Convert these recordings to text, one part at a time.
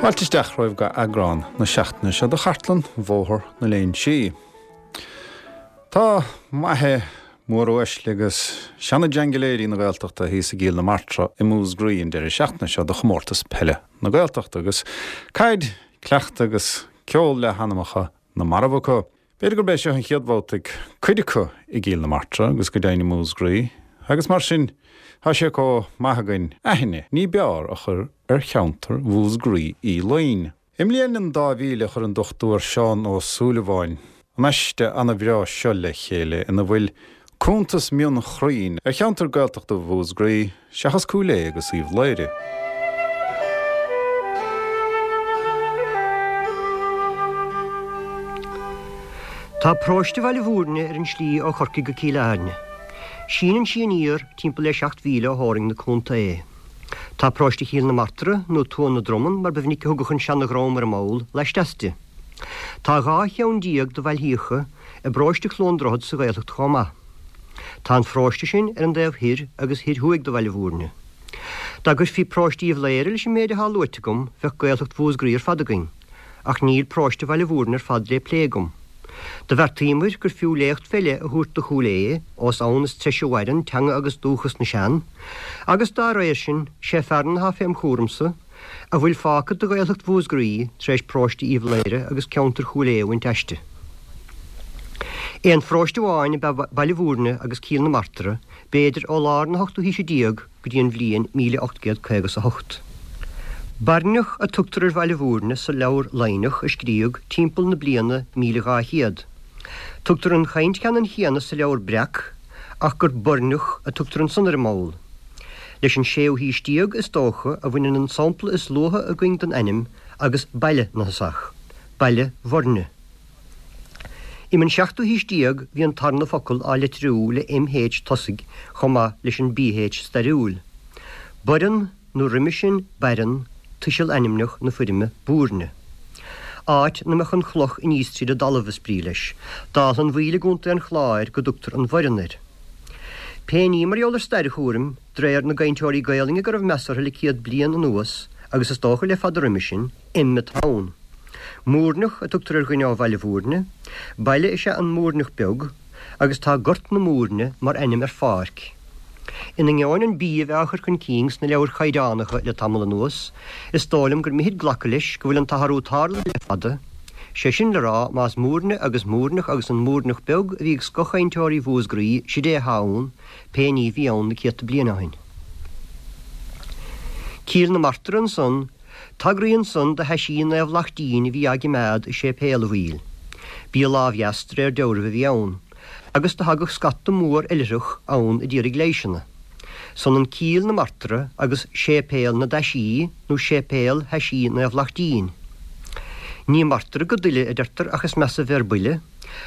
Fáilte isteach romhaibh go eagrán na seachtaine seo de Chartlann Bhóthar na Léinsí. Tá maithe, móruaisle agus seana-jhaingiléirí na Gaeltachta thíos i gCill na Martra i Músgraí an deireadh seachtaine seo do chomórtas peile na Gaeltachta agus caid, cleachtadh agus ceol le hanamacha na marbh acu. B'fhéidir gurb é seo an chéad bhabhta ag cuid acu i gCill na Martra agus go deimhin i Músgraí agus mar sin tá sé chomh maith againn aithne ní b'fhearr a chur ar cheantar Mhúsgraí Uí Fhloinn. I mbliain an 2000 chuir an Dr Seán Ó Súilleabháin an aiste ana-bhreá seo le chéile ina bhfuil cuntas mion-chruinn ar cheantar Gaeltachta Mhúsgraí seachas Cúil Aodha agus Uíbh Laoghaire. Tá paróiste Bhaile Mhúirne ar an slí ó Chorcaigh go Cill Airne. Síneann sí aniar timpeall le 7 mhíle ó theorainn na contae. Tá paróiste Chill na Martra, nó Tuath na Dromann mar ba mhinic a thugadh an seana-dhream ar an mball, laisteas di. Tá 12 cheann de bhailthíocha i bparóiste Chluain Droichead sa Ghaeltacht chomh maith. Tá an pharóiste sin ar an dtaobh thoir agus thoir thuaidh de Bhaile Mhúirne. Dá gcuirfí paróiste Uíbh Laoghaire leis an méid atá luaite agam bheadh Gaeltacht Mhúsgraí ar fad againn, ach níl paróiste Bhaile Mhúirne ar fad lé plé agam. Do bheartaíomair gur fiú léacht fé leith a thabhairt do Chúil Aodha, ós ann is treise a mhaireann teanga agus dúchas na sean, agus dá réir sin, sé fearann atá fém chúramsa, a bhfuil fágtha de Ghaeltacht Mhúsgraí tar éis paróiste Uíbh Laoghaire agus ceantar Chúil Aodha a bhaint aisti. Aon pharóiste amháin ab ea Baile Mhúirne agus Cill na Martra, b'fhéidir ó lár na hochtú haoise déag go dtí an bhliain 1858. Bairneach a tugtar ar Bhaile Mhúirne sa Leabhar Laighneach a scríodh timpeall na bliana 1200. Tugtar an chaint cheannann chéanna sa Leabhar Breac ach gur Boirneach a tugtar ansan ar an mball. Leis an séú haois déag, is dócha, a bhaineann an sampla is luaithe againn den ainm agus baile na thosach, Baile Bhuirne. Um an seachtú haois déag bhí an tarna focal á litriú le MH tosaigh chomh maith leis an BH stairiúil. Boireann nó roimhe sin Baireann, tuiseal ainmneach na foirme Búirne. Áit 'na mbeadh an chloch aníos tríd an dtalamh is brí leis, dála an bhaoil i gContae an Chláir go dtugtar an Bhoireann air. Pé ní mar gheall ar stair a chúraim, d'réir na gcainteoirí Gaelainne go raibh meas orthu le 100 bliain anuas, agus is dócha le fada roimhe sin, M atá ann. Múirneach a tugtar ar dhuine ó Bhaile Mhúirne. Baile is ea an Múirneach Beag, agus tá Gort na Múirne mar ainm ar pháirc. In ainneoin an B a bheith á chur chun cinn sna leabhair chaighdeánacha le tamall anuas, is dóigh liom gur mithid glacadh leis go bhfuil an t-athrú tarlaithe le fada, Sé sin le rá, más Múirne agus Múirneach agus an Múirneach Beag a bhí ag scothchainteoirí Mhúsgraí, sid é athá ann, pé ní a bhí ann na céadta bliain ó shin. Cill na Martra ansan, tagraíonn san do thaisí Naomh Lachtín a bhí á gcimeád i séipéal a' bhaill. B'í a lámh dheas de réir dealraimh a bhí ann, agus do thagadh scata mór oilithreach ann a d'iarraidh leighseanna. 'S ionann Cill na Martra agus Séipéal na dTaisí nó Séipéal Thaisí Naomh Lachtín. Ní martra go dtuile, a deirtear, ach is measa bheir buile,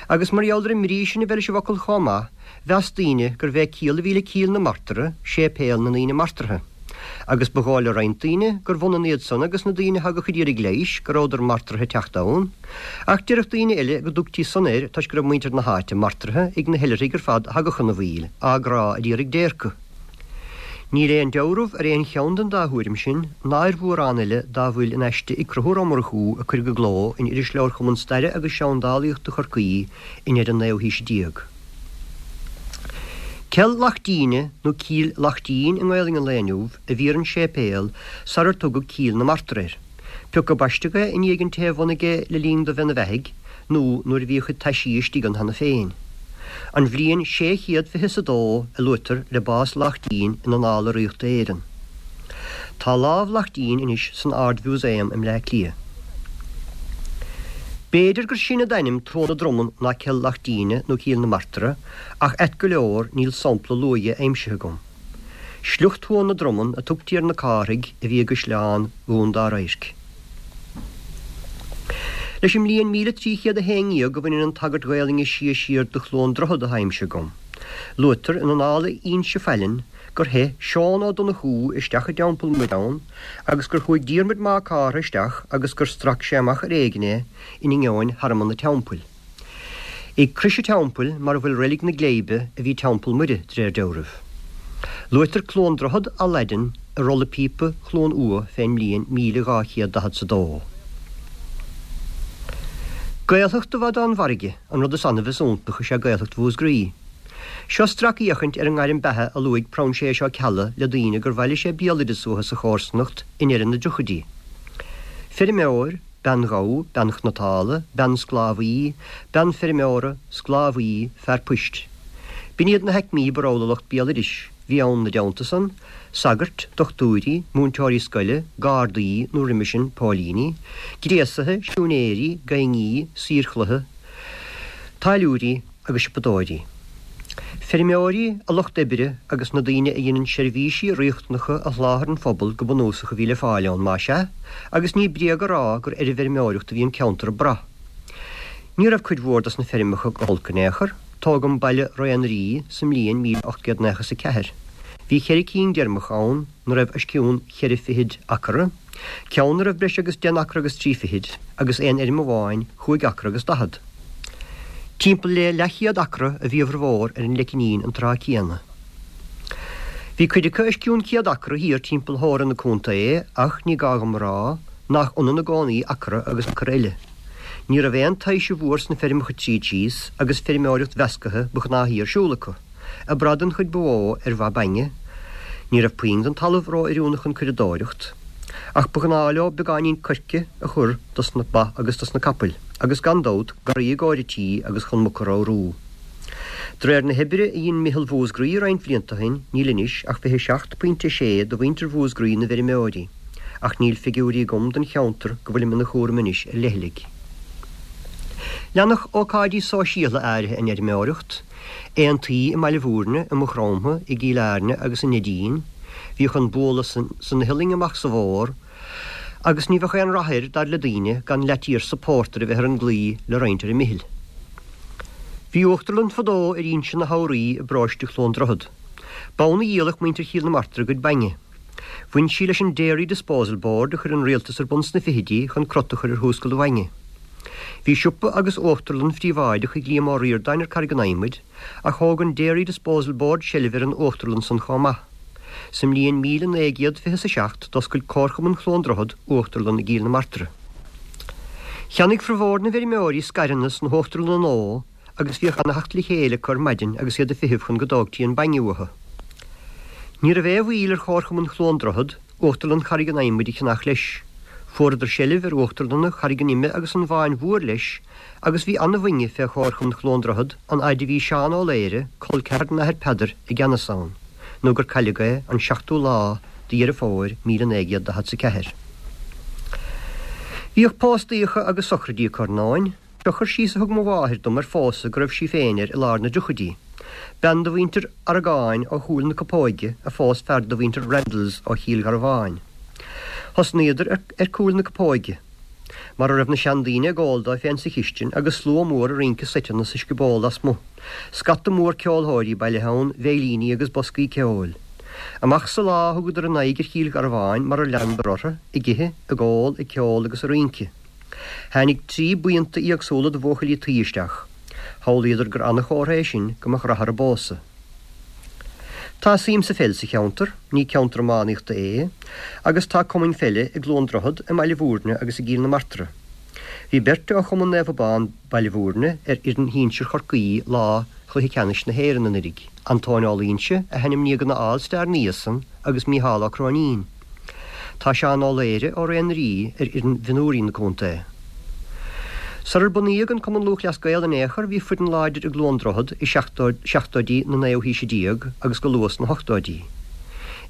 agus mar gheall ar an mbrí sin a bheith leis an bhfocal chomh maith, mheas daoine gurbh é ciall a bhí le Cill na Martra, séipéal na ndaoine martraithe. Agus ba dhóigh le roinnt daoine gurbh ionann iad san agus na daoine a thagadh a d'iarraidh leighis, go rabhadar martraithe teacht ann. Ach déarfadh daoine eile go dtugtaí san air toisc go raibh muintir na háite martraithe ag na hoilithrigh ar fad a thagadh chun an bhaill, á gcrá a d'iarraidh déirce. Níl aon deabhramh ar aon cheann den dá thuairim sin, ná ar mhórán eile dá bhfuil in aiste Uí Conchúir Ó Murchú a cuireadh i gcló in Irisleabhar Chumann Staire agus Seandálaíochta Chorcaí i ndeireadh an naoú haoise déag. Cell Lachtíne nó Cill Lachtín i nGaelainn an lae inniu a bhí ar an séipéal sarar tugadh Cill na Martra air. Pioca baisteadh é i ndiaidh an té a bhunaigh é le linn do bheith 'na bheathaidh, nó nuair a bhí a chuid taisí istigh ann cheana féin. An bhliain sé chéad fiche 's a dó a luaitear le bás Lachtín in Annála Ríochta Éireann. Tá lámh Lachtín anois san Ard-Mhúsaem i mBleá Cliath. B'fhéidir gur sine d'ainm Tuath na Dromann ná Cill Lachtíne nó Cill na Martra, ach ait go leor níl sampla luath dhe aimsithe agam. Sliocht Thuath na Dromann a tugtaí ar na Cárthaigh a bhí i gCaisleán Dhún Dá Radhairc. Leis an mbliain 1311 a bhaineann an tagairt Ghaelainne is sia siar do Chluain Droichead atá aimsithe agam. Luaitear in Annála Inse Faileann gur theith Seán Ó Donnchú isteach i dTeampall Muire ann agus gur chuaigh Diarmuid Mac Cártha isteach agus gur strac sé amach ar éigin é in ingeoin thearmann an teampaill. Ag crois an teampaill, mar a bhfuil reilig na Gléibe, a bhí Teampall Muire, de réir dealraimh. Luaitear Cluain Droichead á Laidin. i rolla píopa Chluain Umha fén mbliain 1242. Gaeltacht i bhfad ón bhfarraige, an rud is annamh is iontach is ea Gaeltacht Mhúscraí. Seo stracfhéachaint ar an ngairm beatha a luaigh Proinséas Ó Ceallaigh le daoine gur bhailigh sé béaloideas uathu sa chomharsanacht i ndeireadh na dtriochaidí. Feirmeoir, bean ghabha, bean chnotála, bean sclábhaí, bean feirmeora, sclábhaí, fear poist. B'in iad na haicmí ba rogha le lucht béaloidis. Bhí ann 'na dteannta san, sagairt, dochtúirí, múinteoirí scoile, gardaí, nó roimhe sin, póilíní, gréasaithe, siúinéirí, gaibhní, saoir chloiche, táilliúirí agus siopadóirí. Feirmeoirí, a lucht oibre agus na daoine a dheineann seirbhísí riachtanacha a sholáthair an phobal go bunúsach a bhí le fáil ann, más ea, agus ní bréag a rá gur ar an bhfeirmeoireacht a bhí an ceantar ag brath. Ní raibh cuid mhór dos na feirmeacha go holc in aon chor. Tógadh an baile Rae an Rí sa mbliain 1894. Bhí cheithre cinn d'fheirmeacha ann 'na raibh os cionn cheithre fichid acra, ceann 'na raibh breis agus deich n-acra agus trí fichid, agus aon fheirm amháin chúig acra agus daichead. Timpeall le leathchéad acra a bhí a bhformhór ar an Leicinín an tráth céanna. Bhí cuid acu os cionn 100 acra thiar timpeall Hóra na contae ach ní gá dhom a rá nach ionann i gcónaí acra agus acra eile. Ní raibh aon taoise mhór sna feirmeacha tríd síos agus feirmeoireacht mheascaithe ba ghnáthaí ar siúl acu, ag brath den chuid ba mhó ar bha bainne. Ní raibh puinn den talamh ró-oiriúnach chun curadóireacht, ach ba ghnáth leo beagáinín coirce a chur dos na ba agus dos na capaill, agus gan dabht, garraí i gcomhair an tí agus chun muc a ramhrú. De réir na hoibre a dhein Meitheal Mhúscraí roinnt bhlianta ó shin, níl anois ach 27.6 de mhuintir Mhúscraí 'na bhfeirmeoirí. Ach níl figiúirí agam don cheantar go bhfuilim ina chúram anois ar leithligh. Leanfadh ócáidí sóisialtha áirithe an fheirmeoireacht, aontaí i mBaile Bhúirne, i Maigh Chromtha, i gCill Airne agus i Neidín. Bhíodh an bualadh san iothlainn amach sa bhfómhar agus ní bheadh aon rath air, dar le daoine, gan leathtíorsa pórtair a bheith ar an gclaí le roinnt ar an mhichil. Bhí uachtarlann fadó ar Inse na hEabhraí i bparóiste Chluain Droichead. B'ann a dhíoladh muintir Chill na Martra a gcuid bainne. Bhain sí leis an Dairy Disposal Board a chuir an rialtas ar bun sna fichidí chun crot a chur ar thionscal an bhainne. Bhí siopa agus uachtarlann phríobháideach ag Liam Ó Ríordáin ar Carraig an Adhmaid ach thóg an Dairy Disposal Board seilbh ar an uachtarlann san chomh maith. Sa mbliain 1927 d'oscail Comharchumann Chluain Droichead uachtarlann i gCill na Martra. Cheannaigh formhór na bhfeirmeoirí scaireanna sna huachtarlanna nua agus bhíodh ana-theacht le chéile acu ar maidin agus iad ag feitheamh chun go dtógtí an bainne uathu. Ní raibh aon mhoill ar Chomharchumann Chluain Droichead, Uachtarlann Charraig an Adhmaid a cheannach leis. Fuaireadar seilbh ar uachtarlanna Charraig an Ime agus an Bháin Mhóir leis agus bhí ana-bhainne fé Chomharchumann Chluain Droichead an fhaid a bhí Seán Ó Laoire, col ceathar den Athair Peadar, i gceannas ann, nó gur cailleadh é an seachtú lá de Dheireadh Fómhair 1944. Bhíodh póstaíocha agus sochraidí acu ar ndóin. Seo cur síos a thug mo mháthair dom ar phósadh go raibh sí féin air i lár na dtriochaidí. Bean de mhuintir Aragáin ó Chúil na Copóige a phós fear de mhuintir Randalls ó Chill Gharbháin. Thosnaíodar ar Cúil na Copóige, mar a raibh na seandaoine ag ól dóibh féin sa chistin agus slua mór ag rince seiteanna sa scioból lasmuigh. Scata mór ceolthóirí bailithe ann, veidhlíní agus boscaí ceoil. Amach sa lá thugadar a n-aghaidh ar Chill Gharbháin mar ar leanadar orthu, ag ithe, ag ól, ag ceol agus ag rince. Tháinig trí buíonta éagsúla de bhuachaillí tuí isteach. Shamhlaíodar gur ana-chomhartha é sin go mbeadh rath ar an bpósadh. Tá suim sa pheil sa cheantar, ní ceantar iománaíochta é, agus tá cumainn pheile i gCluain Droichead, i mBaile Bhúirne agus i gCill na Martra. Bhí beirt ó Chumann Naomh Abán, Baile Bhúirne, ar fhoireann shinsir Chorcaí lá Chluiche Ceannais na hÉireann anuiridh, Antóin Ó Loingsigh, a hainmníodh ina All Star ina dhiaidh san, agus Mícheál Ó Cróinín. Tá Seán Ó Laoire ó Rae an Rí ar fhoireann mhionúirí na contae. Sarar bunaíodh an Cumann Lúthchleas Gael in aon chor bhí foireann láidir i gCluain Droichead i seachtóidí na naoú haoise déag agus go luath sna hochtóidí.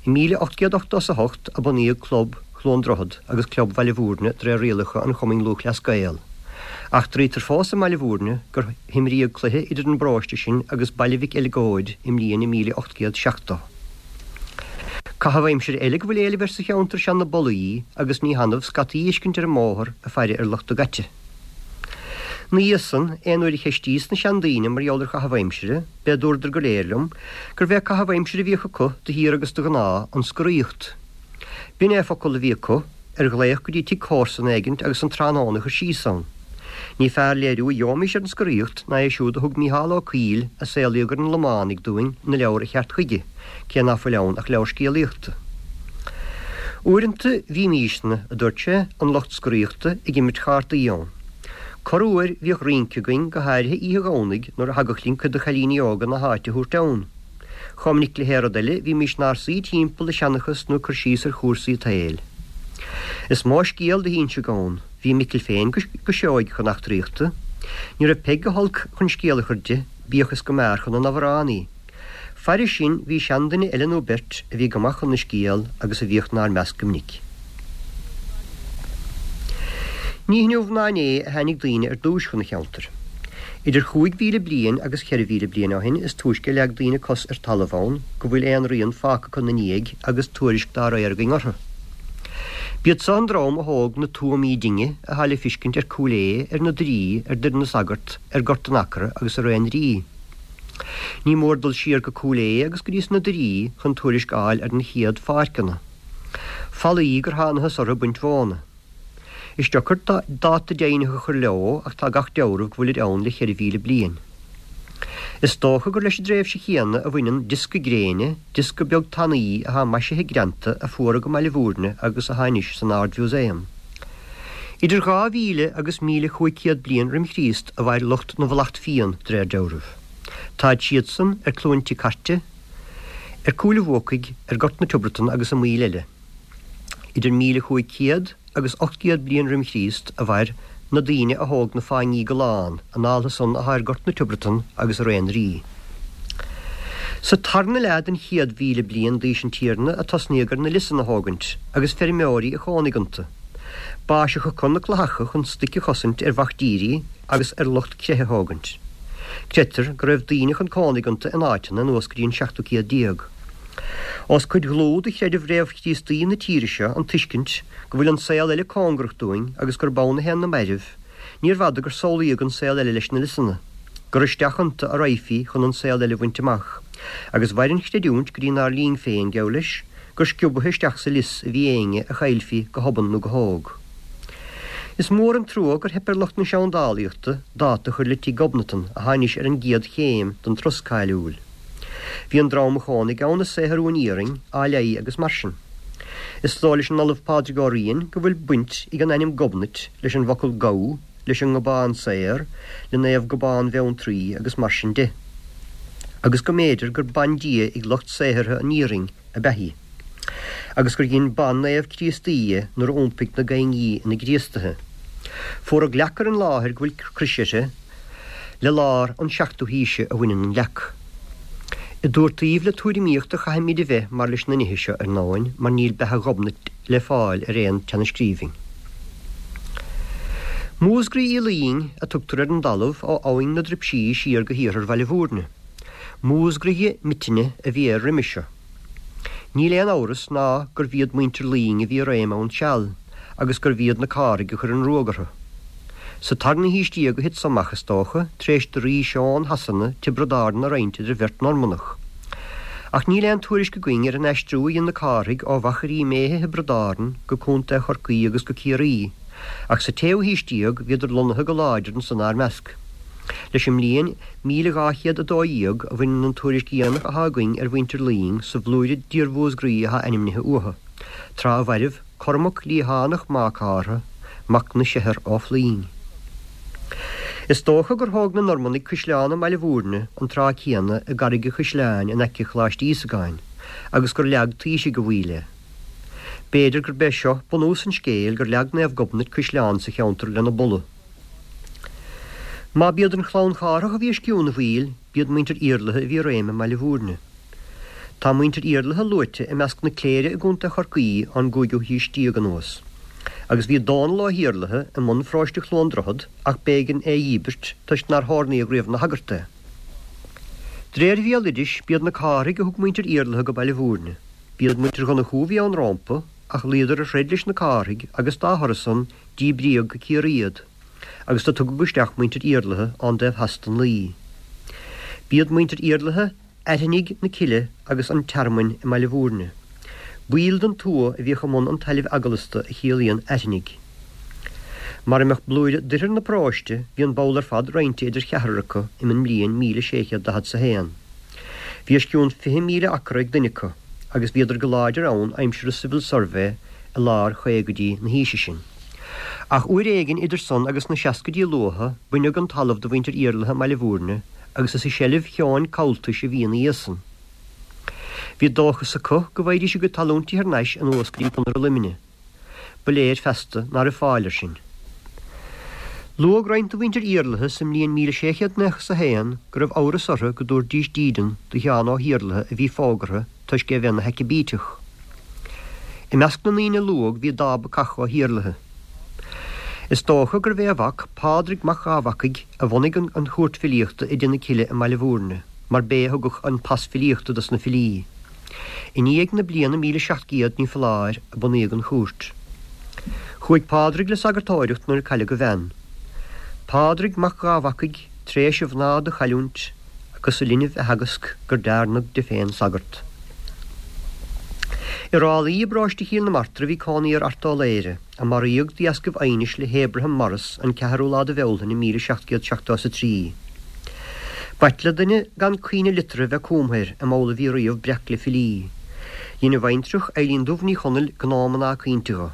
I 1888 a bunaíodh Club Chluain Droichead agus Club Bhaile Bhúirne de réir rialacha an Chumainn Lúthchleas Gael. Eachtraítear fós i mBaile Bhúirne gur himríodh cluiche idir an bparóiste sin agus Baile Mhic Eileagóid i mbliain 1870. Caitheamh aimsire eile go bhfuil éileamh air sa cheantar is ea na bolaí agus ní hannamh scataí a fheiscint ar an mbóthar ag faire ar lucht a gcaite. 'Na dhiaidh san, aon uair a cheistíos na seandaoine mar gheall ar chaitheamh aimsire, b'é a dúradar go léir liom gurbh é caitheamh aimsire a bhíodh acu de shíor agus de ghnáth an scoraíocht. B'in é focal a bhí acu ar ghlaoch go dtí tigh comharsan éigint agus an tráthnóna a chur síos ann. Ní fearr léiriú a gheobhaimis ar an scoraíocht ná é siúd a thug Mícheál Ó Cuill a saolaíodh ar an Lománaigh dúinn ina leabhar A Cheart Chuige, cé ná fuil ann ach leabhar scéalaíochta. Uaireanta bhímísne, a dúirt sé, an lucht scoraíochta, ag imirt chártaí ann. Corruair bhíodh rince againn, go háirithe oíche Dhomhnaigh nuair a thagadh linn cuid de chailíní óga na háite a thabhairt ann. Chomh minic le haon rud eile bhímís 'nár suí timpeall ag seanchas nó ag cur síos ar chúrsaí an tsaoil. Is mó scéal do hínseadh ann. Bhí Micil féin go seoigh chun eachtraíochta. Ní raibh Peig go holc chun scéal a chur di, bíodh is go mb'fhearr chun an amhráin í. Fairis sin bhí seanduine eile nó beirt a bhí go maith chun na scéal agus a bhíodh 'nár measc go minic. Ní hinniu ná inné a tháinig daoine ar dtúis chun an cheantair. Idir 5,000 bliain agus 4,000 bliain ó shin is túisce a leag daoine cos ar talamh ann go bhfuil aon rian fágtha acu 'na ndiaidh agus tuairisc dá réir againn orthu. B'iad so an dream a thóg na tuamaí dinge athá le fiscint ar Cúil Aodha, ar na Doirí, ar Doire na Sagart, ar Gort an Acra agus ar An Rí. Ní mór dul siar go Cúil Aodha agus go dtí sna Doirí chun tuairisc a fháil ar na chéad pháirceanna. Falaí gur thánathas orthu ag baint mhóna. Is deacair dáta deimhnitheach a chur leo ach tá gach deabhramh go bhfuilid ann le 4,000 bliain. Is dócha gur leis an dtréimhse chéanna a bhaineann diosca gréine, diosca beag tanaí athá maisithe greanta a fuaradh i mBaile Bhúirne agus athá anois san Ard-Mhúsaem. Idir 2,000 agus 1,500 bliain roim Chríost a mhair lucht na bhFlacht Fiann, de réir deabhraimh. Táid siadsan ar Cluain Tigh Cairte, ar Cúil an Bhuacaigh, ar Gort na Tiobratan agus i mbaill eile. Idir 1,500 agus 800 bliain roim Chríost a mhair na daoine a thóg na fáinní gallán, an dáltha san athá ar Gort na Tiobratan agus ar An Rí. Sa tarna leath den chéad mhíle bliain d'aois an Tiarna a tosnaíodh ar na liosanna a thógaint, agus feirmeoirí a chónaigh iontu. B'áis acu na clathacha chun stoic a chosaint ar mhactírí agus ar lucht creiche a thógaint. Creidtear go raibh daoine chun cónaigh iontu in áiteanna anuas go dtí an seachtú céad déag. Ós cuid dhlúth de chreideamh réamh-Chríostaí na tíre seo an tuiscint go bhfuil an saol eile cóngarach dúinn agus gurb ann a théann na mairbh, níorbh fhada gur samhlaíodh an saol eile leis na liosanna, gur isteach iontu a raghfaí chun an saol eile a bhaint amach, agus mhair an chreidiúint go dtí 'nár linn féin, geall leis, gur sciobaithe isteach sa lios a bhí éinne a chaillfí go hobann nó go hóg. Is mór an trua gur theip ar lucht na seandálaíochta dáta a chur le Tigh Ghobnatan athá anois ar an gcéad chéim den turas cáiliúil. Bhí an dream a chónaigh ann ag saothrú an iarainn, á leí agus mar sin. Is dóigh leis an Ollamh Pádraig Ó Riain go bhfuil baint ag an ainm Gobnait leis an bhfocal gabh, leis an ngobán saor, le Naomh Gobán Bheanntraí agus mar sin de. Agus go mb'fhéidir gur bandia ag lucht saothartha an iarainn ab ea í. Agus gur dhein ban-naomh Críostaí dhe nuair a iompaigh na gaing í ina gCríostaithe. Fuaradh leac ar an láthair go bhfuil crois uirthi, Le lár an seachtú haoise a bhaineann an leac. I dtabhairt taobh le tuairimíocht a chaithfimid a bheith mar leis na nithe seo, ar ndóin, mar níl beatha Ghobnait le fáil ar aon tseanascríbhinn. Músgraí Uí Luing a tugtar ar an dtalamh ó abhainn na Druipsí siar go hiarthar Bhaile Bhúirne. Músgraighe Mitinne a bhí air roimis seo. Níl aon amhras ná gurbh iad muintir Luing a bhí i réim ann seal agus gurbh iad na Cárthaigh a chuir an ruag orthu. Sa tarna haois déag a thit so amach, is dócha, tar éis do Rí Seon Shasana Tiobraid Árann a roinnt idir bheirt Normannach. Ach níl aon tuairisc againn ar an aistriú a dhein na Cárthaigh ó Mhachairí Méithe Thiobraid Árann go Contae Chorcaí agus go Ciarraí, ach sa tséú haois déag bhíodar lonnaithe go láidir ansan 'nár measc. Leis an mbliain 1212 a bhaineann an tuairisc dhéanach athá againn ar mhuintir Luing sa bhlúire d'iar-Mhúsgraí athá ainmnithe uathu, tráth a mhairbh Cormac Liathánach Mac Cártha, mac na Seithear Ó Floinn. Is dócha gur thóg na Normannaigh caisleán i mBaile Bhúirne an tráth céanna i gCarraig a' Chaisleáin in aice Choláiste Íosagáin agus gur leag taoisigh a bhaill é. B'fhéidir gurb é seo bunús an scéil gur leag Naomh Gobnait caisleán sa cheantar lena buladh. Má b'iad an chlann Chárthach a bhí os cionn an bhaill, b'iad muintir Iarlaithe a bhí i réim i mBaile Bhúirne. Tá muintir Iarlaithe luaite i measc na cléire i gContae Chorcaí ón gcúigiú haois déag anuas. Agus bhí Dónall Ó hIarlaithe i mbun pharóiste Chluain Droichead ach b'éigean é a dhíbirt toisc nár hordnaíodh riamh ina shagart é. De réir bhéaloidis, b'iad na Cárthaigh a thug muintir Iarlaithe go Baile Bhúirne. B'iad muintir Dhonnchú a bhí ann rómpa, ach luíodar ar throid leis na Cárthaigh agus dá thoradh san díbríodh go Ciarraí iad, agus do tugadh isteach muintir Iarlaithe ón dtaobh theas den Laoi. B'iad muintir Iarlaithe Airthinnigh na Cille agus an Tearmainn i mBaile Bhúirne. Baill den tuath a bhíodh i mbun an tailimh eaglasta a chiallaíonn airthinnigh. Mara mbeadh blúire d'oirthear na paróiste, bhí an ball ar fad roinnte idir cheathrar acu uim an mbliain 1641. Bhí os cionn 20,000 acra ag duine acu, agus bhíodar go láidir ann aimsir an Civil Survey. i lár chaogaidí na haoise sin. Ach uair éigin idir san agus na seascaidí luatha baineadh an talamh de mhuintir Iarlaithe i mBaile Bhúirne agus is i seilbh Sheáin Comhaltais a bhí ina dhiaidh san. Bhí dóchas acu go bhfaighidís a gcuid talúintí thar n-ais anuas go dtí Conaire Luimnigh. Ba léir feasta ná raibh fáil air sin. Luadh roinnt de mhuintir Iarlaithe sa mbliain 1691 go raibh amhras orthu go dtabharfaidís dídean do Sheán Ó hIarlaithe a bhí fógartha toisc é a bheith ina Sheacaibíteach. I measc na ndaoine a luadh bhí Dábhacach Ó hIarlaithe. Is dócha gurbh é a mhac, Pádraig Mac Dhábhacaigh, a bhunaigh an chúirt filíochta i dTigh na Cille i mBaile Bhúirne, mar b'é a thugadh an pas filíochta dos na filí. I ndiaidh na bliana 1700, ní foláir, a bunaíodh an chúirt. Chuaigh Pádraig le sagartóireacht nuair a cailleadh a bhean. Pádraig Mac Dhábhacaigh, tréis a mhná do chailliúint, agus a linbh a theagasc gur dearnadh de féin sagart. I Ráth Luí i bparóiste Chill na Martra a bhí cónaí ar Art Ó Laoghaire, a maraíodh de dheascaibh aighnis le hAbraham Morris an ceathrú lá de Bhealtaine 1773. B'ait le duine gan caoineadh liteartha bheith cumtha air, an amhlaidh a bhí riamh breac le filí. Dhein a bhaintreach, Eilín Dubh Ní Chonaill, gnáthmhná caointe dho.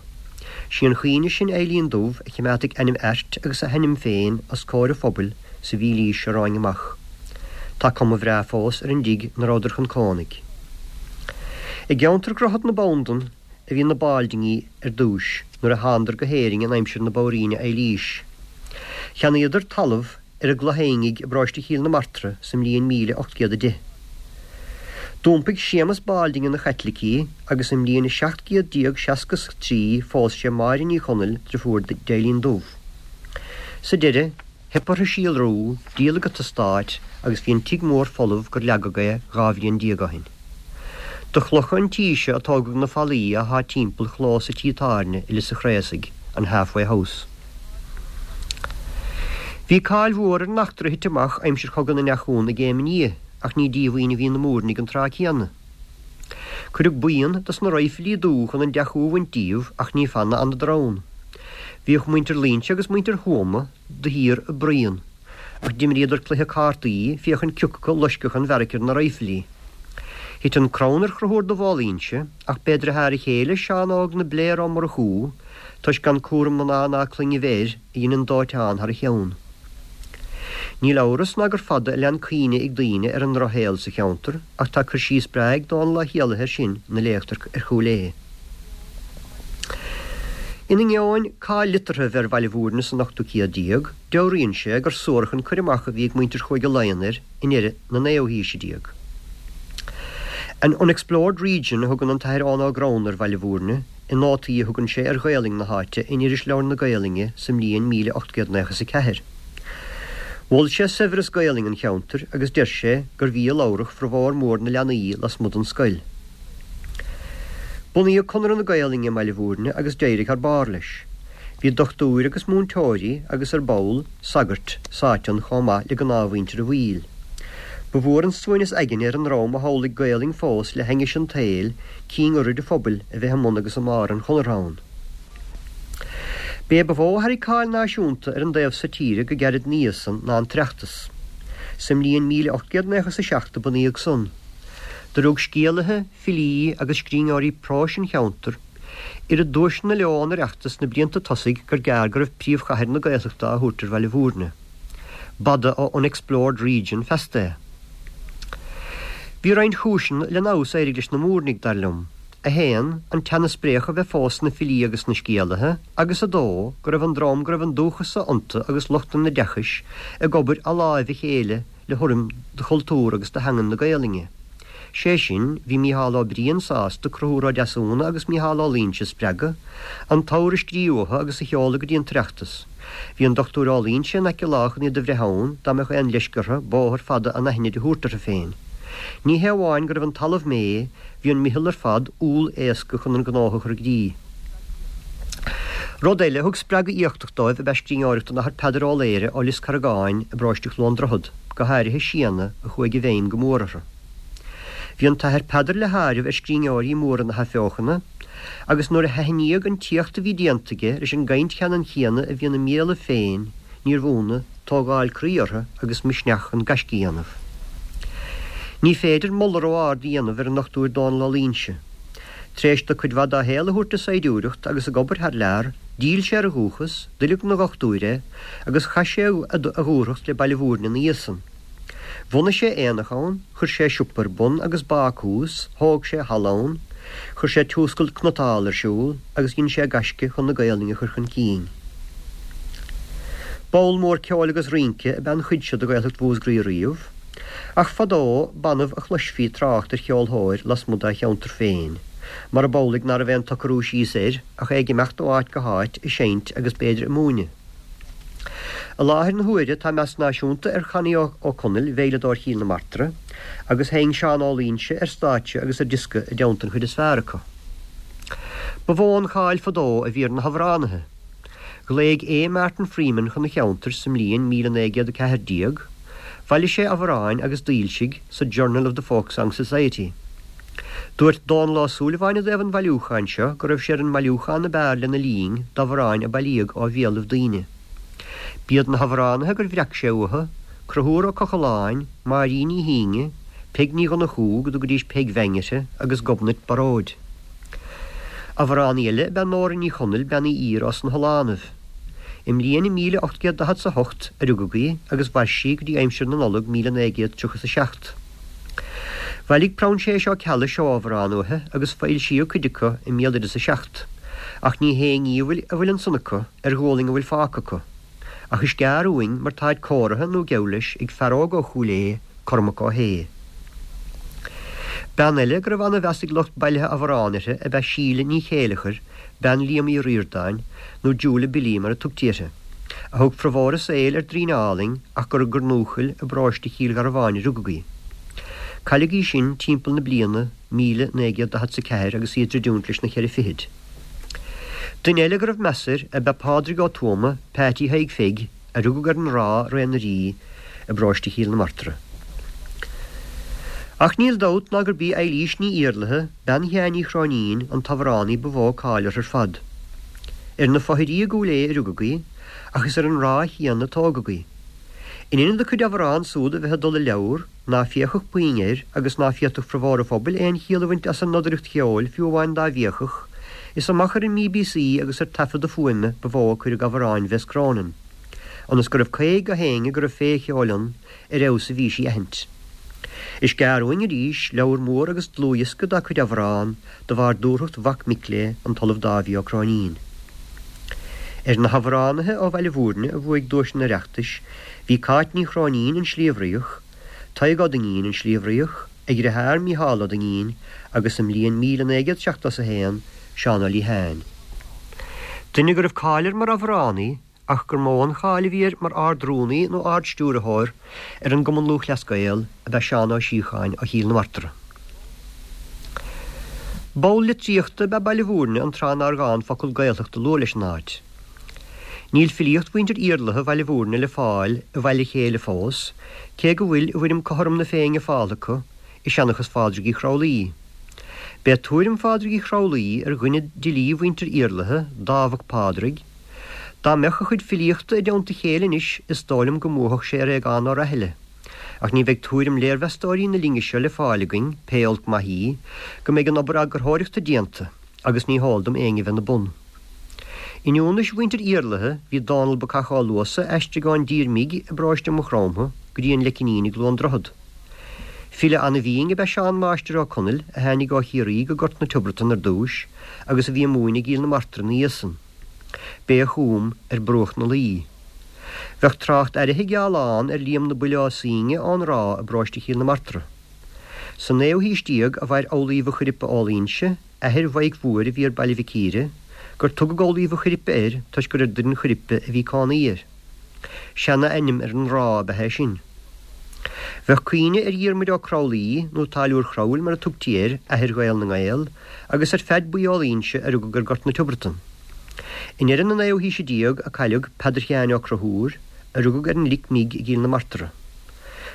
Sí an chaoineadh sin Eilín Dubh a chimeádfaidh ainm Airt agus a hainm féin os comhair an phobail sa mhílaois seo romhainn amach. Tá cuma bhreá fós ar an dtigh 'na rabhadar chun cónaidh. I gceantar Dhroichead na Banndan a bhí na Báldingí ar dtúis nuair a thánadar go hÉirinn in aimsir na Bobhairíne Eilís. Cheannaíodar talamh ar an gCloich Fhainge i bparóiste Chill na Martra sa mbliain 1810. D'iompaigh Séamas Bálding ina Chaitlicí agus i mbliain 1763 phós sé Máire Ní Chonaill, driofúr d'Eilín Dubh. Sa deireadh, Theip orthu síolrú, díoladh an t-eastát agus bhí an tigh mór folamh gur leagadh é 12 bhliain ó shin. De chlocha an tí seo a tógadh na fallaí athá timpeall chlós an tí tábhairne i Lios an Chraosaigh, an Half Way House. Bhí cáil mhór ar an eachtra a thit amach aimsir Chogadh na nDeachún i gCéim an Fhia ach ní díomhaoin a bhí na Múirnigh an tráth céanna. Cuireadh buíon dos na raidhfilí dubha chun an deachú a bhaint díobh ach ní fada a fhanadar ann. Bhíodh muintir Luínse agus muintir Thuama de shíor ag bruíon, ach d'imríodar cluiche cártaí féachaint cioca acu loiscfeadh an bheairic ar na raidhfilí. Thit an crann ar Chonchúr de Mhaoilínse ach b'é driotháir a chéile Seán Óg na Bléar Ó Murchú, toisc gan cúram mná ná clainne bheith air, a dhein an dóiteán thar a cheann. Níl amhras ná gur fada a lean cuimhne ag daoine ar an ndrochshaol sa cheantar ach tá cur síos breá ag Dónall Ó hÉallaithe air sin ina léacht ar Chúil Aodha. In ainneoin cáil liteartha a bheith ar Bhaile Bhúirne san ochtú céad déag, dealraíonn sé gur suarach an cur amach a bhí ag muintir Chúige Laighean air i ndeireadh na naoú haoise déag. An unexplored region a thugann an tAthair Eoin Ó Gramhna ar Bhaile Bhúirne i nótaí a thugann sé ar Ghaelainn na háite in Irisleabhar na Gaelainne sa mbliain 1894. Mhol sé saibhreas Gaelainne an cheantair agus deir sé gurbh í a labhradh formhór mór na leanaí lasmuigh den scoil. Bunaíodh Conradh na Gaolainne i mBaile Bhúirne agus d'éirigh thar barr leis. Bhí dochtúir agus múinteoirí agus, ar ball, sagairt, sáite ann chomh maith le gnáthmhuintir an bhaill. Ba mhór an suaimhneas aigne ar an ndream a shamhlaigh Gaolainn fós le hainnis an tsaoil cinn urraidh an phobail a bheith i mbun agus i mbarr an Chonartha ann. B'é ba mhó a tharraing cáil náisiúnta ar an dtaobh so tíre go gairid ina dhiaidh san ná an tOireachtas. Sa mbliain 1897 a bunaíodh san. Do rug scéalaithe, filí agus scríbhneoirí próis an cheantair oiread duaiseanna leo ón Oireachtas sna blianta tosaigh gur gearr go raibh príomhchathair na Gaeltachta á thabhairt ar Bhaile Bhúirne. B'fhada ó unexplored region feasta é. Bhí roinnt chúiseanna len fheabhas a éirigh leis na Múirnigh, dar liom. 1, An teannas spréach a bheith fós sna filí agus sna scéalaithe, agus 2, Go raibh an dream go raibh an dúchas iontu agus lucht an oideachais ag obair a láimh a chéile le hurraim do chultúr agus do theangain na Gaolainne. Sé sin, bhí Mícheál Ó Briain sásta Conchúr Ó Deasúna agus Mícheál Ó Loingsigh a spreagadh, an t-abhar a scríobh uathu agus a sheoladh go dtí an tOireachtas. Bhí an Dochtúir Ó Loingsigh in aice láimhe chun iad a bhreith ann, dá mbeadh aon leisce orthu bóthar fada anaithnid a thabhairt orthu féin. Ní hé amháin go raibh an talamh méith, Bhí an meitheal ar fad umhal éasca chun an gnótha a chur i gcrích. Rud eile a thug spreagadh éachtach dóibh ab ea scríbhneoireacht an Athar Peadar Ó Laoghaire ó Lios Carragáin i bparóiste Chluain Droichead, go háirithe Séanna, a chuaigh i bhfeidhm go mór orthu. Bhí an tAthair Peadar le háireamh ar scríbhneoirí móra na hAthbheochana, agus nuair a haithníodh an t-éacht a bhí déanta aige leis an gcaint cheannann chéanna a bhí ina mbéalaibh féin, níorbh ionadh tógáil croí orthu agus misneach chun gaisce a dhéanamh. Ní féidir moladh ró-ard a dhéanamh ar an nDochtúir Dónall Ó Loingsigh. Tar éis dó cuid mhaith dá shaol a thabhairt do saighdiúireacht agus ag obair thar lear, d'fhill sé ar a dhúchas, d'oileadh ina dhochtúir é, agus chaith sé a dhúthracht le Baile Mhúirne ina dhiaidh san. Bhunaigh sé aonach ann, chuir sé siopa ar bun agus bácús, thóg sé halla ann, chuir sé tiúscal cniotála ar siúl agus dhein sé gaisce chun na Gaolainne a chur chun cinn. Ball mór ceoil agus rince ab ea an chuid seo de Ghaeltacht Mhúscraí riamh, ach fadó b'annamh a chloisfí trácht ar cheolthóir lasmuigh dá cheantar féin, mar ab amhlaidh ná raibh aon tsocrú síos air ach é ag imeacht ó áit go háit ag seinnt agus b'fhéidir ag múineadh. I láthair na huaire tá meas náisiúnta ar Chonnie Ó Conaill, veidhleadóir Chill na Martra, agus sheinn Seán Ó Loingsigh ar stáitse agus ar diosca i dteannta an chuid is fearr acu. Ba mhó an cháil fadó a bhí ar na hamhránaithe. Ghlaoigh A. Martin Freeman chun an cheantair sa mbliain 1914, bhailigh sé amhráin agus d'fhoilsigh sa Journal of the Folk Song Society. Dúirt Dónall Ó Súilleabháin i dtaobh an bhailiúcháin seo go raibh sé ar an mbailiúchán ab fhearr lena linn d'amhráin a bailíodh ó bhéalaibh daoine. B'iad na hamhránaithe gur bhreac sé uathu, Conchúr Ó Cochalláin, Máirín Ní hÍne, Peig Ní Dhonnchú, go dtugaidís Peig Bheaing uirthi, agus Gobnait Baróid. Amhránaí eile ab ea Nóra Ní Chonaill, Bean Uí Ír ós na hOileánaibh. I mbliain 1848 a rugadh í agus mhair sí go dtí aimsir na Nollag 1937. Bhailigh Proinséas Ó Ceallaigh seó amhrán uaithi agus foilsíodh cuid acu i mBéaloideas 7, ach ní hé a ngíomh a bhfuil ansan acu ar ghualainn a bhfuil fágtha acu. Ach is gearr uainn mar táid cóirithe nó geall leis ag fear óg ó Chúil Aodha, Cormac Ó hAodha. Bean eile go raibh ana-mheas ag lucht bailithe amhrán uirthi ab ea Síle Ní Chéileachair, bean Liam Uí Ríordáin, nó Julia Billy mar a tugtaí uirthi, a thug formhór a saoil ar Droighneá Álainn ach gur i gCornúchaill i bparóiste Chill Gharbháin a rugadh í. Cailleadh í sin timpeall na bliana 1944 agus í ag druidiúint leis na ceithre fichid. Duine eile go raibh meas air ab ea Pádraig Ó Tuama, Peaití Thaidhg Pheig, a rugadh ar an Ráth Ré na Rí i bparóiste Chill na Martra. Ach níl dabht ná gurb í Eilís Ní Iarlaithe, bean Sheáin Uí Chróinín, an t-amhránaí ba mhó cáil uirthi ar fad. Ar na Fothirí i gCúil Aodha a rugadh í, ach is ar an Ráth chéanna a tógadh í. In ionad a cuid amhrán súd a bheith ag dul i leabhar, ná féachfadh puinn air agus ná féadfadh formhór an phobail aon chiall a bhaint as an nodaireacht cheoil fiú amháin dá bhféachfadh, is amach ar an mBBC agus ar taifeadadh fuaime ba mhó a cuireadh amhráin Bhess Cronin, ionas go raibh caoth gach éinne go raibh féith cheoil ann ar fheabhas a bhí sí a aithint. Is gearr uainn arís leabhar mór agus dlúthdhiosca dá cuid amhrán de bharr dúthracht mhac mic léi, an tOllamh Dáibhí Ó Cróinín. Ar na hamhránaithe ó Bhaile Bhúirne a bhuaigh duaiseanna an Oireachtais bhí Cáit Ní Chróinín, An Sliabh Riach, Tadhg Ó Duinnín, An Sliabh Riach, a dheartháir Mícheál Ó Duinnín agus sa mbliain 1971, Seán Ó Liatháin. Duine go raibh cáil air mar amhránaí ach gur mó an cháil a bhí air mar Ard-Rúnaí nó Ard-Stiúrthóir ar an gCumann Lúthchleas Gael ab ea Seán Ó Síocháin ó Chill na Martra. Ball litríochta ab ea Baile Bhúirne an tráth nár ghá an focal Gaeltacht a lua leis an áit. Níl filíocht mhuintir Iarlaithe Bhaile Bhúirne le fáil i bhfail a chéile fós, cé go bhfuil i bhfoirm Cothrom na Féinne fáltha acu i seanchas Phádraig Uí Chroithlí. B'é tuairim Phádraig Uí Chroithlí ar dhuine d'fhilí mhuintir Iarlaithe, Dámh Mac Pádraig, Dá mbeadh a chuid filíochta i dteannta a chéile anois is dóigh liom go mbuafadh sé ar Aogán Ó Raithile. Ach ní bheidh tuairim léirmheastóirí na linne seo le fáil againn, pé olc maith í, go mbeidh an obair eagarthóireachta déanta. agus ní heol dom éinne bheith 'na bun. In ionannais mhuintir Iarlaithe bhí Dónall Bacach Ó Luasa a aistrigh ón dTír Mbig i bparóiste Mhaigh Chromtha go dtí an Leicinín i gCluain Droichead. File ana-bhinn ab ea Seán Máistir Ó Conaill a tháinig ó Chiarraí go Gort na Tiobratan ar dtúis agus a bhí ag múineadh i gCill na Martra ina dhiaidh san. B'é a chum Ar Bruach na Laoi. Bheadh trácht airithe geall ann ar Liam na Buile Ó Suibhne ón Ráth i bparóiste Chill na Martra. Sa naoú haois déag a mhair Amhlaoibh a' Choiripe ó Loingsigh, athair Mhaidhc Mhóir a bhí ar Baile Mhic Íre, gur tugadh Amhlaoibh a' Choiripe air toisc gur ar Doireann Choiripe a bhí cónaí air. Seana-ainm ar an Ráth ab ea é sin. Bheadh cuimhne ar Dhiarmuid Ó Cromhlaí, nó Táilliúir Chromhaill mar a tugtaí air, athair Ghael na nGael, agus ar Pheaid Buí Ó Loingsigh a rugadh ar Gort na Tiobratan. I ndeireadh na naoú haoise déag a cailleadh Peadar Sheáin Ó Conchúir, a rugadh ar an Lic Mbig i gCill na Martra.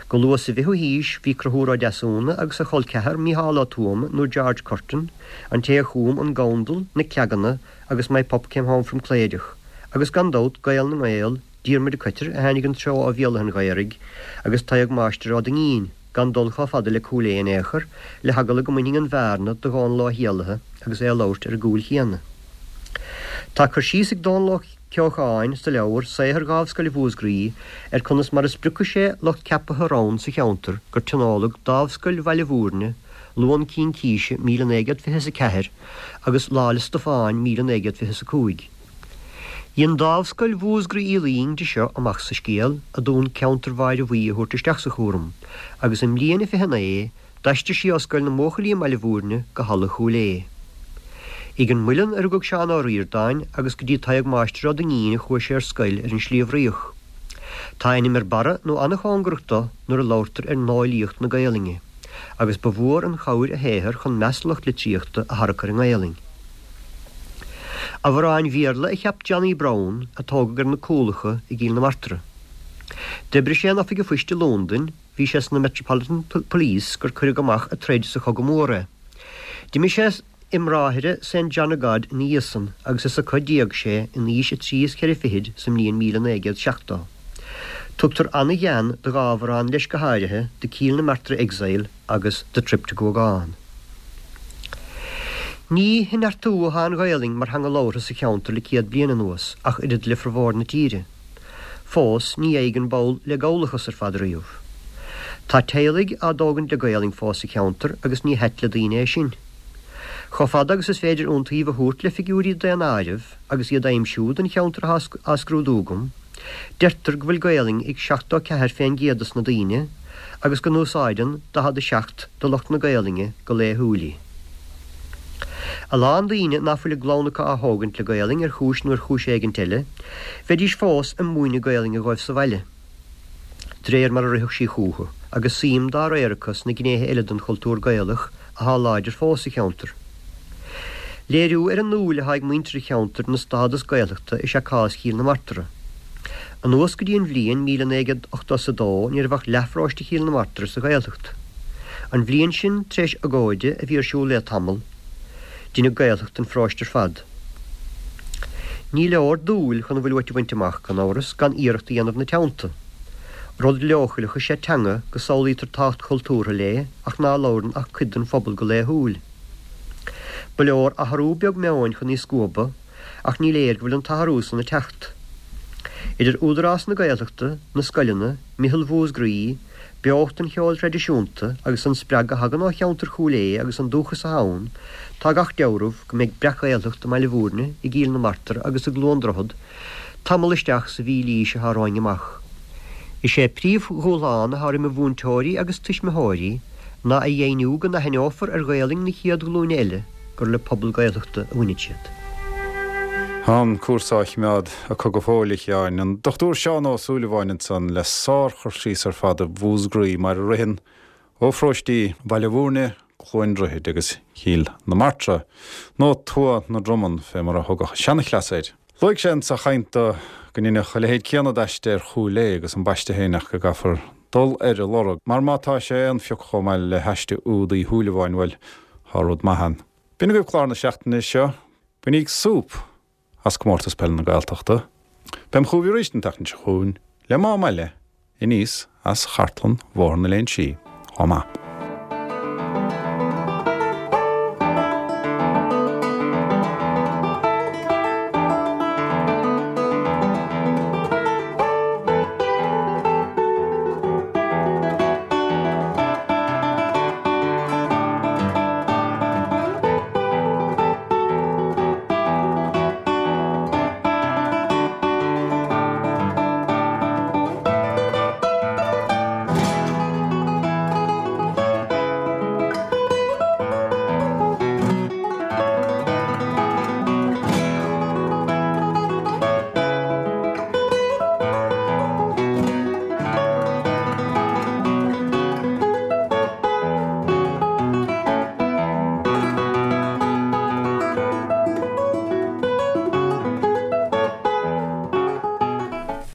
Go luath sa bhfichiú haois bhí Conchúr Ó Deasúna agus a chol ceathar Mícheál Ó Tuama nó George Curtin, an té a chum An Gandal, Na Cleaganna agus My Pup Came Home From Cléireach, agus gan dabht Gael na nGael, Diarmuid de Coitir a tháinig an treo ó Bhéal Átha'n Ghaorthaidh agus Tadhg Máistir Ó Duinnín, gan dul chomh fada le Cúil Aodha in aon chor, le heagla go mbainfinn an bhearna de Dhónall Ó hÉallaithe. agus é ag labhairt ar an gcúil chéanna. Tá cur síos ag Dónal Ó Ceocháin sa leabhar Saothar Dhámhscoil Mhúscraí ar conas mar a spriocfaidh sé lucht ceaptha rann sa cheantar gur tionóladh Dámhscoil Bhaile Bhúirne Luan Cincíse 1924 agus Lá 'le Stiofáin 1925. Dhein Dámhscoil Mhúscraí Uí Fhloinn de seo amach sa scéal a d'fhonn ceantar Bháire Bhuí a thabhairt isteach sa chúram agus i mbliain a 29 D'aistrigh sí ó Scoil na mBuachaillí i mBaile Bhúirne go Halla Chúil Aodha. Ag an Muileann a rugadh Seán Ó Ríordáin agus go dtí Tadhg Máistir Ó Duinnín a chuaigh sé ar scoil ar an Sliabh Fhraoch. Tá a ainm ar barra nó an-chóngarach do nuair a labhartar ar nóilíocht na Gaelainne, agus ba mhór an chabhair a shaothar chun meas lucht litríochta a tharrac ar an nGaelainn. Amhráin Bhéarla a cheap Johnny Browne, a tógadh ar na Cúlacha i gCill na Martra. D'oibrigh sé in oifig an phoist i Londain, Bhí sé sna Metropolitan Police gur cuireadh amach ag troid sa Chogadh Mór é. D'imigh sé i mBráithre Saint John of God ina dhiaidh san agus is acu a d'éag sé in aois a thrí is cheithre fichid sa mbliain 1970. Tugtar an-ghean do dhá amhrán leis go háirithe, The Kilnamartra Exile agus The Trip to Guagán. Ní ag neartú atá an Ghaelainn mar theanga labhartha sa cheantar le 100 bliain anuas ach oiread le formhór na tíre. Fós, ní fhaigheann ball le Gallachas ar fad riamh. Tá teaghlaigh á dtógaint le Gaolainn fós sa cheantar agus ní hait le daoine é sin. Chomh fada agus is féidir iontaoibh a thabhairt le figiúirí daonáirimh agus iad a aimsiú don cheantar atá á scrúdú agam, deirtear go bhfuil Gaolainn ag 74 fén gcéad dos na daoine agus go n-úsáideann 47 de lucht na Gaolainne go laethúil í. A lán daoine ná fuil a gclann acu á thógaint le Gaolainn ar chúis nó ar chúis éigint eile, bheidís fós ag múineadh Gaolainne dhóibh sa bhaile, d'réir mar a rithfeadh sí chúthu, agus suim dá réir acu sna gnéithe eile den chultúr Gaelach athá láidir fós sa cheantar. Léiriú ar an ndúil athá ag muintir an cheantair ina stádas Gaeltachta is ea cás Chill na Martra. Anuas go dtí an bhliain 1982 ní raibh ach leathpharóiste Chill na Martra sa Ghaeltacht. An bhliain sin, tar éis agóide a bhí ar siúl le tamall, deineadh Gaeltacht den pharóiste ar fad. Ní leor dúil chun a bhfuil uait a bhaint amach, gan amhras, gan iarracht a dhéanamh ina teannta. Rud leochaileach is ea teanga go samhlaítear tábhacht chultúrtha léi ach ná labhrann ach cuid den phobal go laethúil. Ba leor athrú beag meoin chun í scuabadh, ach ní léir go bhfuil an t-athrú san ag teacht. Idir Údarás na Gaeltachta, na scoileanna, Meitheal Mhúscraí, beocht an cheoil thraidisiúnta agus an spreagadh a thagann ó cheantar Chúil Aodha agus an dúchas atá ann, tá gach deabhramh go mbeidh breac-Ghaeltacht i mBaile Bhúirne, i gCill na Martra agus i gCluain Droichead tamall isteach sa mhílaois atá romhainn amach. Is é príomhdhúshlán atá roimh mhúinteoirí agus tuismitheoirí ná a dheimhniú go n-aithneofar ar Ghaelainn na chéad ghlúine eile gur le pobal Gaeltachta a bhaineann siad. Tá an cúrsa á choimeád acu go fóill, a Sheáin. An Dr Seán Ó Súilleabháin ansan le sár-chur síos ar fad ar Mhúscraí mar a ritheann ó pharóistí Bhaile Bhúirne, Cluain Droichid agus Chill na Martra, nó Tuath na Dromann fé mar a thugadh seanchleas air. Luaigh sé insa chaint do go ndeineadh a leithéid céanna d'aiste ar Chúil Aodha agus an baiste féin ach go gcaithfear dul ar a lorg mar má tá sé aon phioc chomh maith le haiste úd Uí Shúilleabháin, bhuel, tá rud maith ann. B'in agaibh clár na seachtaine seo. Bainíg súp as Comórtas Peile na Gaeltachta. Beam chugaibh arís an tseachtain seo chugainn le mám eile aníos as chartlann Bhóthar na Léinsí. Chomh maith.